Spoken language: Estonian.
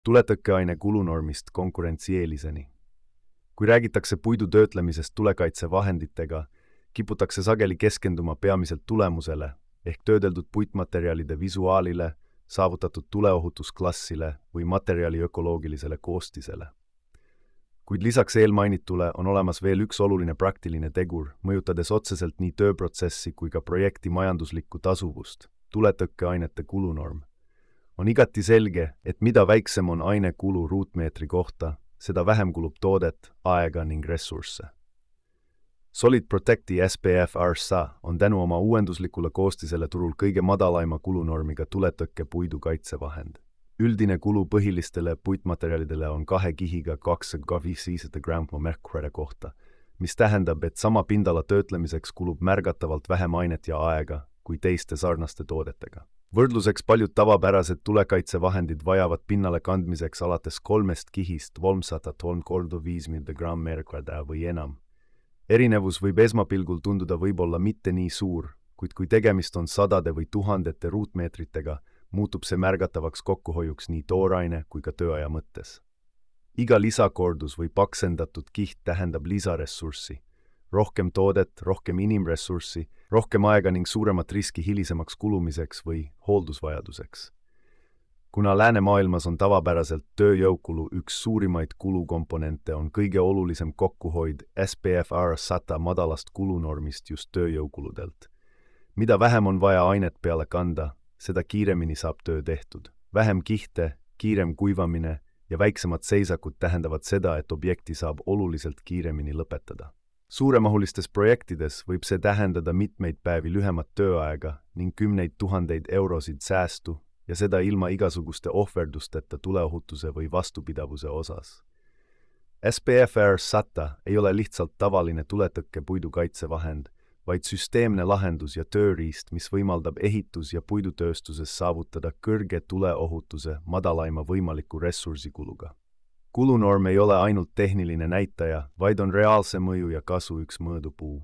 Tuletõkkeaine kulunormist konkurentsieeliseni. Kui räägitakse puidu töötlemisest tulekaitsevahenditega, kiputakse sageli keskenduma peamiselt tulemusele ehk töödeldud puitmaterjalide visuaalile, saavutatud tuleohutusklassile või materjali ökoloogilisele koostisele. Kuid lisaks eelmainitule on olemas veel üks oluline praktiline tegur, mõjutades otseselt nii tööprotsessi kui ka projekti majanduslikku tasuvust, tuletõkkeainete kulunorm. On igati selge, et mida väiksem on aine kulu ruutmeetri kohta, seda vähem kulub toodet, aega ning ressursse. Solid Protecti SPF RSA on tänu oma uuenduslikule koostisele turul kõige madalaima kulunormiga tuletõkke puidu kaitsevahend. Üldine kulu põhilistele puitmaterjalidele on 2 kihiga 2,5 grammi merkuride kohta, mis tähendab, et sama pindala töötlemiseks kulub märgatavalt vähem ainet ja aega kui teiste sarnaste toodetega. Võrdluseks paljud tavapärased tulekaitsevahendid vajavad pinnale kandmiseks alates 3 kihist 335 grammi merkuride või enam. Erinevus võib esmapilgul tunduda võib-olla mitte nii suur, kuid kui tegemist on sadade või tuhandete ruutmeetritega, muutub see märgatavaks kokkuhoiuks nii tooraine kui ka tööaja mõttes. Iga lisakordus või paksendatud kiht tähendab lisaressurssi, rohkem toodet, rohkem inimressurssi, rohkem aega ning suuremat riski hilisemaks kulumiseks või hooldusvajaduseks. Kuna läänemaailmas on tavapäraselt tööjõukulu üks suurimaid kulukomponente, on kõige olulisem kokkuhoid SPF R100 madalast kulunormist just tööjõukuludelt. Mida vähem on vaja ainet peale kanda, seda kiiremini saab töö tehtud. Vähem kihte, kiirem kuivamine ja väiksemad seisakud tähendavad seda, et objekti saab oluliselt kiiremini lõpetada. Suuremahulistes projektides võib see tähendada mitmeid päevi lühemat tööaega ning 10 000 eurosid säästu ja seda ilma igasuguste ohverdusteta tuleohutuse või vastupidavuse osas. SPF R100 ei ole lihtsalt tavaline tuletõkke puidu kaitsevahend, vaid süsteemne lahendus ja tööriist, mis võimaldab ehitus- ja puidutööstuses saavutada kõrge tuleohutuse madalaima võimaliku ressursikuluga. Kulunorm ei ole ainult tehniline näitaja, vaid on reaalse mõju ja kasu üks mõõdupuu.